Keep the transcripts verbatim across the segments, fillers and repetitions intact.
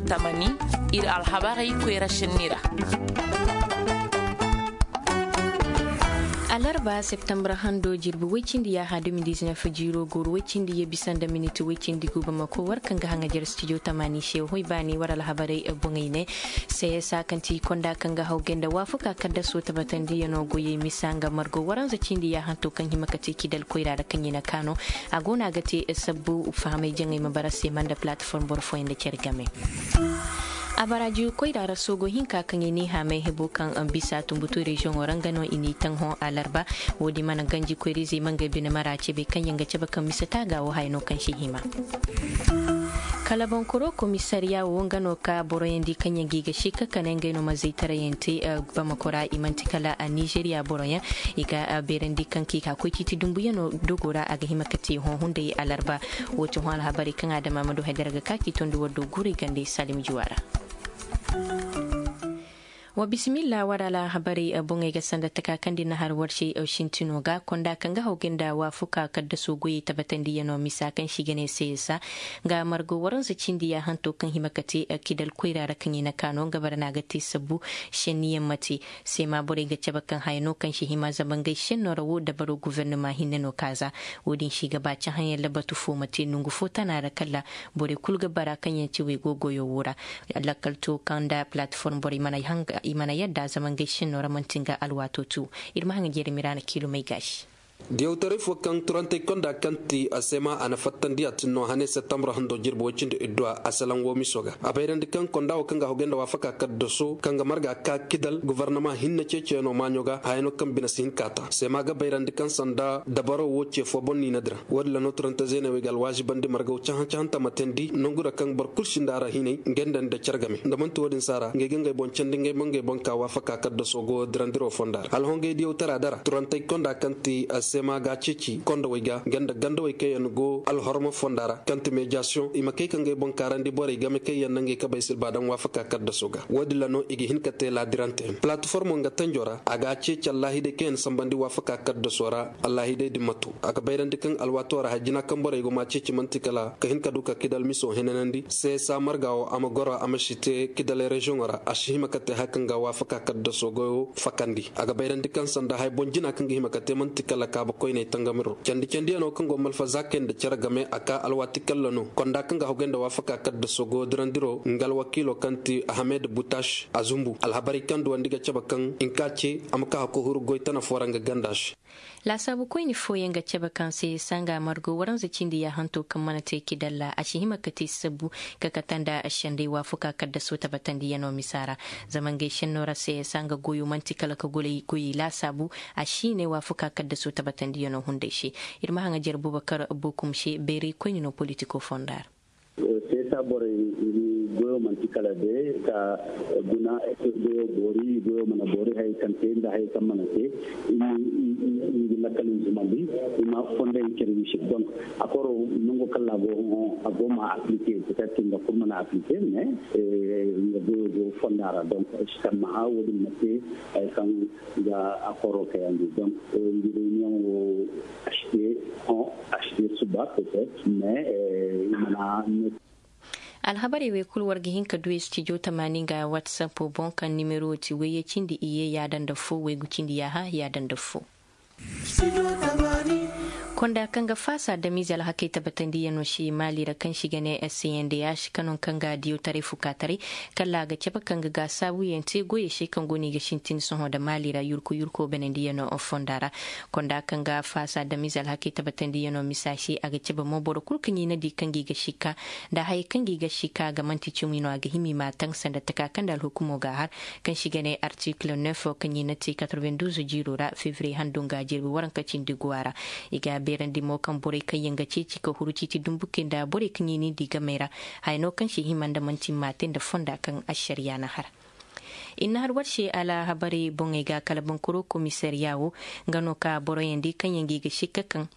Tamani, iri alhabarey koyra senni ra. Alarba septembre hando jirbi way cindi yaaha deux mille dix-neuf jiiro gooru way cindi ye bisa nda miniti way cindi gu bamako war kaŋ ga haŋajer studio tamani se hoy baani war alhabarey boŋey ne. Csa kaŋ ti konda kaŋ ga hawgay nda waafakaa kaddaso tabatandiyano goyey misa nga margo waranza cindi yaahanto kaŋ hima ka te kidal koyra ra kaŋ i na kaano. A go no a ga te sabbu fahamay jaŋay ma bara se ma nda plateforme boro fooyaŋ nda care game. A baraaji koyra ra soogo hinka kaŋ i n'i haamay hebo kaŋ bisa tumbutu reziyoŋo ra nga no i n'i taŋ hõ alarba. Wo-din mana ganji koyra-izey ma ngey bine mara cebe kaŋ yaŋ ga cabe kaŋ bisa taaga wo haya no kaŋ si hima. Kala bonkoro komisariya wo nga no ka boroyaŋ di kaŋ yaŋ ga i ga sikka kane ngey no ma zaytarayaŋ te. Bamako ra i manti kala nizeriya boroyaŋ. I ga beerandi kaŋ ka i ka koy ciiti dumbuyano dogo ra a ga hima ka te hõ hunday alarba. Wo ti hõ alhabarey kaŋ adama ma du haydara ga ka k'i tondi war do guurey gande salim juwa ra. Wa bisimilla war alhabarey boŋey ga sanda taka kaŋ din na har war se sintino ga konda kaŋ ga hawgay nda waafuka kaddaso goyey tabatandiyano misa kaŋ si ga ne csa nga margo waranza cindi yaahanto kaŋ hima ka te kidal koyra ra kaŋ i na kaano nga bara no a ga te sabbu. Senniyaŋ ma te. Seema borey ga cabe kaŋ haya no kaŋ si hima zama ngey senno ra wo dabaro guvernama hinne no kaaza. Wo-din si ga ba cahãyaŋ labatu fo ma te nongu fo tana ra kala borey kulu ga bara kaŋ yaŋ ti waygo goyo wo ra. Lakkal to kaŋ nda plateforme borey i mana yadda zama ngey senno ra manti nga alwaato tu. Iri ma haŋa jeeri miraana kiilumey gaasi. Diyawtaray fo kaŋ turantey konda kaŋ ti a seema a na fattandi a tin no hane septembre hando jirbi way cindi idduwa a salaŋ wo miso ga a bayrandi kaŋ konda wo kaŋ ga hogay nda waafaka kaddaso kaŋ ga marga ka kidal gobornama hinne ceeciyaŋo maaɲo ga hayano kaŋ bine si hin ka ta seema ga bayrandi kaŋ sanda dabaro wo ce fo boŋ niina dira. Wo-din ra no turante zeeney wey ga alwaazibandi margaw cahã-cahãnta ma teendi nangu ra kaŋ boro kulu sinda a ra hinay ngey nda nda care game nda manti wo-din se a ra ngey ga ngey boŋ candi ngey ma ngey boŋ ka waafaka kaddaso go dirandiro fonda ra alhongey diyawtara dara turantey konda kaŋ ti a seema ga a ceeci kondowey ga nga nda gandawey kaŋ yaŋ go alhorma fonda ra kaŋ ti mediyasiyoŋ i ma kay ka ngey boŋ kaarandi borey game kaŋ yaŋ na ngey kabey silba daŋ waafaka kaddaso ga. Wo-din ra no i ga hin ka te laadirante. Palatiformo nga tanjo ra a ga a ceeci allahidey kaŋ yaŋ sambandi waafaka kaddaso ra allahidey din ma to a ga bayrandi kaŋ alwaato ra hay jina kaŋ borey go ma ceeci manti kala ka hin ka du ka kidal miso henanandi seesa marga wo a ma goro a ma si te kidaley reziyoŋo ra a si hima ka te hari kaŋ ga waafaka kaddaso goyo fakandi a ga bayrandi kaŋ sanda hay boŋ jina kaŋ ga hima ka te manti kala kaaba koyney tangamiro candi-candiyano kaŋ go malfa zaakey nda care game a ka alwaati kalla no konda kaŋ ga hogay nda waafaka kaddaso goyo dirandiro nga alwakiilo kaŋ ti ahamed butash a zumbu alhabarey kaŋ duwandi ga cabe kaŋ i nka ce a ma ka hako huru goy tana fo ra nga ganda se. Laasaabu koyne fooyaŋ ga cabe kaŋ se sanga margo waranza cindi yaahanto kaŋ mana te kidalla a si hima ka te sabbu ka kate nda sendey waafuka kaddaso tabatandiyano misa ra. Zama ngey senno ra se sanga goyo manti kala ka goyey laasaabu a si ne waafuka kaddaso tabatandiyano hunday se. Iri ma haŋajer bubakar bokum se beeray koyne no politiko fonda ra. Seesa borey goyo manti kala de ka guna goyo boori goyo mana boori hayey kaŋ te nda hayey kaŋ mana te i ga lakkal i zumandi i ma fonday care wisi donc a koro nango kalla go a go ma aplike peut-être nga kulu mana aplike mais nga goyo go fonda ra donc sammaha wo-din ma te hari kaŋ ga a koro kayandi donc nga reunion wo achte hon achte suba peut-être mais i mana. Alhabarey wey kulu war ga hin ka du studio tamaani nga whatsapp boŋ kaŋ nimero ti wayye cindi iyye yaada nda fo waygu cindi yaaha yaada nda fo. Konda kaŋ ga faasa damize alhakey tabatandiyano se maali ra kaŋ si ga ne s n d h kano kaŋ ga diyawtaray fukaataray kala a ga cabe kaŋ ga gaasaabuyaŋ te goyey se kaŋ go no i ga sintin sohõ nda maali ra yurku yurko banandiyano fonda ra. Konda kaŋ ga faasa damize alhakey tabatandiyano misa se a ga cabe mo boro kulu kaŋ i na di kaŋ ga i ga sikka nda hayey kaŋ ga i ga sikka a ga manti cimi no a ga hima i ma a taŋ sanda taka kaŋ nda alhukumo ga a har kaŋ si ga ne artikil neuf kaŋ i na te quatre-vingt-douze jiiro ra fevriye hando nga jirbi waranka cindi guwa ra. I ga a beerandi mo kaŋ borey kaŋ yaŋ ga ceeci ka huru ciiti dumbu kay nda borey kaŋ i n'i di gamey ra haya no kaŋ si hima nda manti ma te nda fonda kaŋ ašariya na har. I na har war se alhabarey boŋey ga kala bankuro komisariya wo nga no ka boroyaŋ di kaŋ yaŋ ga i ga sikka kaŋ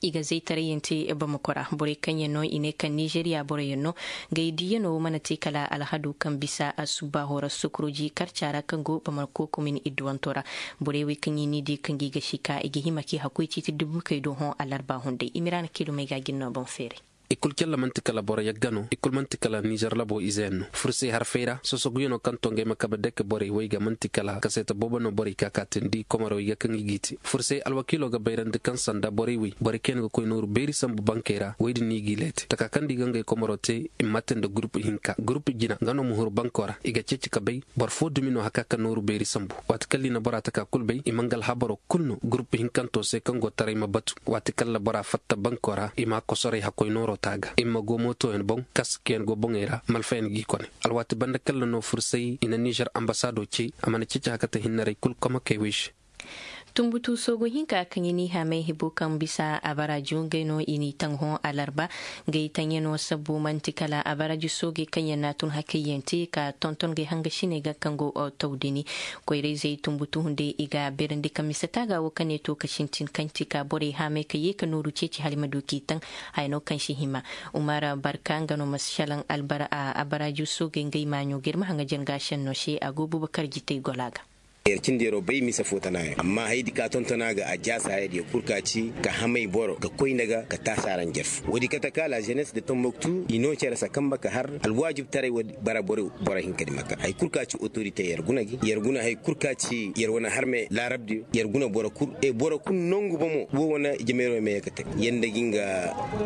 i ga zaytarayyaŋ te bamako ra borey kaŋ yaŋ no i ne kaŋ nizeriya boroyaŋ no. Gay diyano mana te kala alhadu kaŋ bisa a subba hora sukuruji karca ra kaŋ go bamako komin idduwanto ra. Borey wey kaŋ i n'i di kaŋ ga i ga sika i ga hima k'i hakkoy ciiti dubu kay do hõ alarba hunday i mira na kilomey ga gin no boŋ feeray. I kulu calla manti kala boro yagga no, i kulu manti kala nizer labo ize yaŋ no. Fursay harfey ra sosoguyaŋo kaŋ to ngey ma kabe dake borey way ga manti kala kaseeta boobo no borey ka ka tindi komorey ga kaŋ i g'i te. Fursay alwakiilo ga bayrandi kaŋ sanda borey way borey kaŋ yaŋ ga koy nooru beeri sambu bankey ra way din no i g'i leete taka kaŋ da i ga ngey komoro te. I ma mate nda gurupu hinka gurupu jina nga no ma huru banko ra i ga ceeci ka bay boro fo dumi no haka ka nooru beeri sambu. Waati kaŋ liina bora taka kulu bay i ma nga alhabaro kulu no gurupu hinkanto se kaŋ go taray ma batu. Waati kaŋ labora fatta banko ra i ma a kosoray hakkoy nooro taaga i ma go mootoyaŋ boŋ kaskayaŋ go boŋey ra malfayaŋ g'i kone. Alwaati banda kaŋ la no fursay i na nizer ambasaado ce a mana ceeci hakata hinnaray kulu komakey way se. Tumbutu soogo hinka kaŋ i n'i haamay hibo kaŋ bisa abaraajo ngey no i n'i taŋ hõ alarba. Ngey taŋyaŋo sabbu manti kala abaraajo soogey kaŋ yaŋ n'a tun hakayyaŋ te ka tonton ngey hangasiney ga kaŋ go tawdini. Koyrayzey tumbutu hunday i ga beerandi kaŋ mise taaga wo kaŋ ne to ka sintin kaŋ ti ka borey haamay ka ye ka nooru ceeci hala i ma du k'i taŋ. Haya no kaŋ si hima. Umar barka nga no ma si salaŋ abaraajo soogey ngey maaɲo ga iri ma haŋajan ga senno se a go bubakar jitay gola ga. Yer cindi yeroo bay mise fo tana yaŋ amma haydi ka tontona ga a jaasa hayadiyo kulu ka ci ka hamay boro ga koy nda ga ka taasi araŋ jerfu woodi kate ka la jenes de tomboktu i no care sakamba ka har alwaajib taray woodi bara boro. Boro hinka di ma ka hari kulu ka ci otorite yer guna gi yer guna hari kulu ka ci yer wane harme laarabdiyo yer guna boro kulu e boro kulu nangu bomo wo wane jameero me ye ka te yer nda ga nga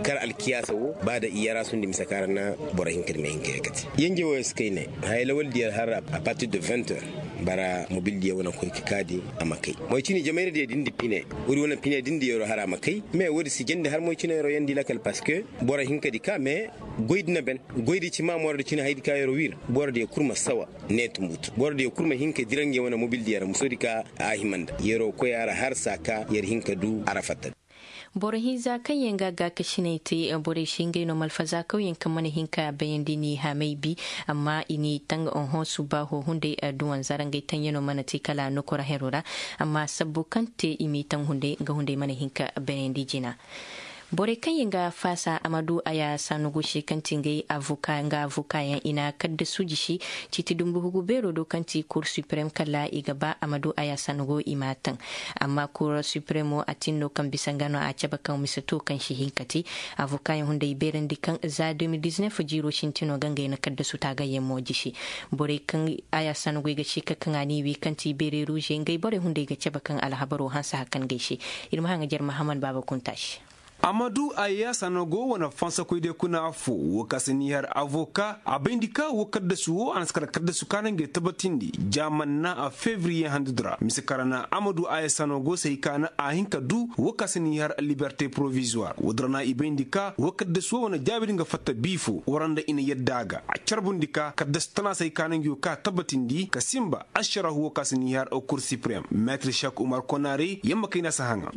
kar alkiyaasa wo ba da i yara sundi mise ka ra na boro hinka di ma hinka ye ka te. Yenje wo ye si kay ne haya lawaldi yer har a partir de vingt heures. Bara mobildiyo wane koy ka kaadi a ma kay moy cine jamayra diyo din di pine. Wuri wane pine din di yero hara ma kay mais wodi si jandi har moy cine yero yandi lakal parce que boro hinka di ka mais goy di na ben goy di ci ma moro di cine hay di ka yero wir boro diyo kulu ma sawa ne tumbutu boro diyo kulu ma hinka diranje wane mobildiyo ra muso di ka a himanda yero koy ara har sa ka yer hinka du ara fatta. Boro hinza kaŋ yaŋ ga gaakasiney te borey se ngey no malfaza kawyaŋ kaŋ mana hin ka bayandi n'i haamay bi. Amma i n'i taŋ oho subbaaho hunday duwanza ra ngey taŋyaŋo mana te kala nokora hero ra. Amma sabbo kaŋ te i m'i taŋ hunday nga hunday mana hin ka bayandi jina. Borey kaŋ yaŋ ga faasa amadu aya sanugu se kaŋ ti ngey avoka nga avoka yaŋ i na kaddasu jisi. Ciiti dumbu hugu beero do kaŋ ti kur supreme kala i ga ba amadu aya sanugu i m'a taŋ. Amma kura supremo a tin no kaŋ bisa nga no a cabe kaŋ mise to kaŋ si hin ka te. Avoka yaŋ hunday beerandi kaŋ za deux mille dix-neuf jiiro sintino ga ngey na kaddasu taagayyaŋ mo jisi. Borey kaŋ aya sanagoy ga ci ka kaŋ a n'i wi kaŋ ti beere ruuze ngey borey hunday ga cabe kaŋ alhabaro hanse hakan gay se. Iri ma haŋajer mahaman baaba kunta se. Amadu aya sanago wane fansakoy day kuna affo wo ka si n'i har avoka a bayndi ka wo kaddasu wo a na si kala kaddasu ka na ngey tabbatindi. Jaaman na a fevriye handudi ra mise kara na amadu aya sanago se hay ka na a hin ka du wo ka si n'i har liberte provisoire wo din ra na i bayndi ka wo kaddasu wo wane jaabi din ga fatta bi fo wara nda i na yadda a ga a carbundi ka kaddasu tana se hay ka na ngey wo ka tabbatindi ka simba. Ašarahu wo ka si n'i har kur supreme metre shak umar konare yamma kayna si haŋa.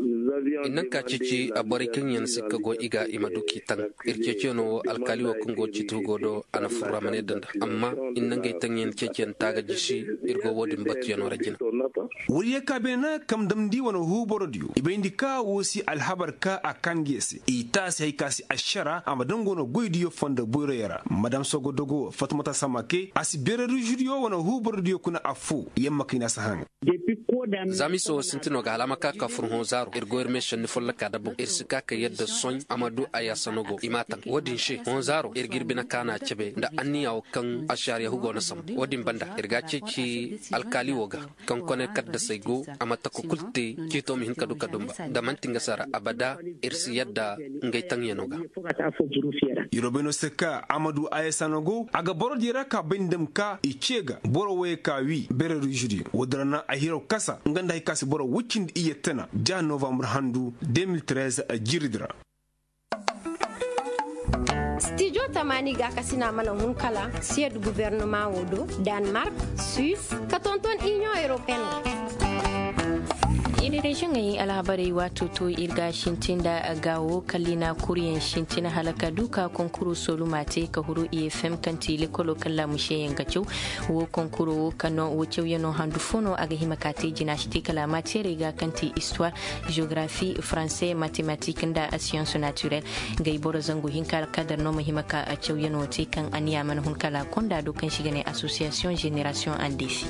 I naŋ ka ceeci a borey kaŋ yaŋ sikka go i ga i ma du k'i taŋ. Iri ceeciyaŋo wo alkaali wo kaŋ go ciiti hugo do a na furra ma ne danda amma i na ngey taŋ yaŋ ceeciyaŋ taaga jisi. Iri go wo- din batuyaŋo ra jina. Wariya ka beene na kam damndi wane huuborodiyo i bayndi ka wo si alhabar ka a kaandiya se i taasi hay ka si ašara a ma daŋ go no goydiyo fondo boyroyo ra madam sogodogo fatmata samake a si beere ruuzudiyo wane huuborodiyo kuna affo. Yamma kayna si haŋ. Za miso wo sinti no ga hala a ma ka ka fur hõ zaaro iri go iri me sanni folloka da boŋ iri si ka ka yadda sohõ a ma du a yaasa no go i m'a taŋ wo- din se hõ zaaro iri ga iri bine kaana cabe nda anniya wo kaŋ ašariya hugo na sambu wo- din banda iri ga a ceeci alkaali wo ga kaŋ kone kaddasey go a ma tako kulu te ciito ma hin ka du ka dumba da manti nga sara abada. Iri si yadda ngey taŋyaŋo ga. Iri wo bay no se ka amadu ayasano go a ga boro diya ra ka bay nda ma ka i ce ga boro wayey ka wi beere ruuzu diyo wo- din ra naŋ a hiraw kasa nga nda hari ka si boro woy cindi iyye tana ja novambre handu deux mille treize. Jiiri din ra. Stijo tamaani gaakasina mana hun kala siyad gubernama wo do danemark, suisse, ka tonton inion europeen. Iri reziyoŋey alhabarey waato to iri ga sintin nda gaawo kalli na kuriyaŋ sintin hala ka du ka konkuro sooluma te ka huru i fm kaŋ ti lekolo kaŋ laamuseyaŋ ga caw. Wo konkuro wo kaŋ no wo cawyaŋo handu fo no a ga hima ka te jina si te kala maateerey ga kaŋ ti istuwaar, jeografi, faranse, matematik nda siyans naturel. Ngey boro zangu hinka alkadar no ma hima ka cawyaŋo te kaŋ anniya mana hun kala konda do kaŋ si ga ne asosiyasiyoŋ jenerasiyoŋ andefi.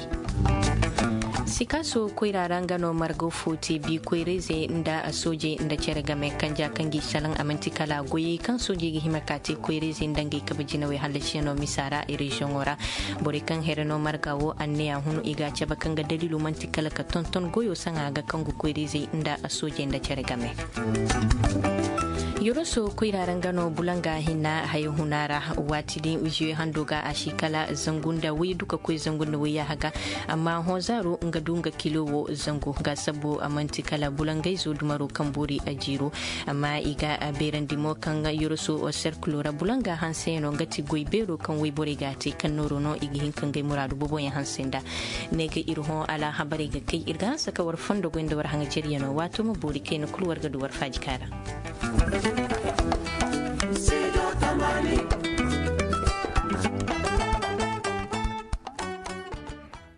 Sikaaso koyra ra nga no margo fo te bi koyrayzey nda soojey nda care game kanja kaŋ g'i salaŋ a manti kala goyey kaŋ soojey ga hima ka te koyrayzey nda ngey kabe jinawey hallasiyaŋo misa ra reziyoŋo ra. Borey kaŋ here no marga wo anniya hun i ga a cabe kaŋ ga daliilo manti kala ka tonton goyo saŋa ga kaŋ ga koyrayzey nda soojey nda care game. Yoroso koyra ra nga no bulanga hinna haya huna ra. Waati din zuwe hando ga a si kala zangu nda way duka koy zangu nda way yaaha ga. Amma hõ zaaro nga du nga kilo wo zangu ga sabbu a manti kala bulangayzo dumaro kaŋ boori a jiiro. Amma i ga a beerandi mo kaŋ yoroso serkulo ra bulanga hanseyaŋo nga ti goy beero kaŋ wayborey ga a te kaŋ nooro no i ga hin ka ngey muraadu booboyaŋ hanse nda. Ne ga iri hõ alhabarey ga kay iri ga hanse ka war fondo goy nda war haŋajeriyano waato ma boori kayna kulu war ga du war faaji kaara.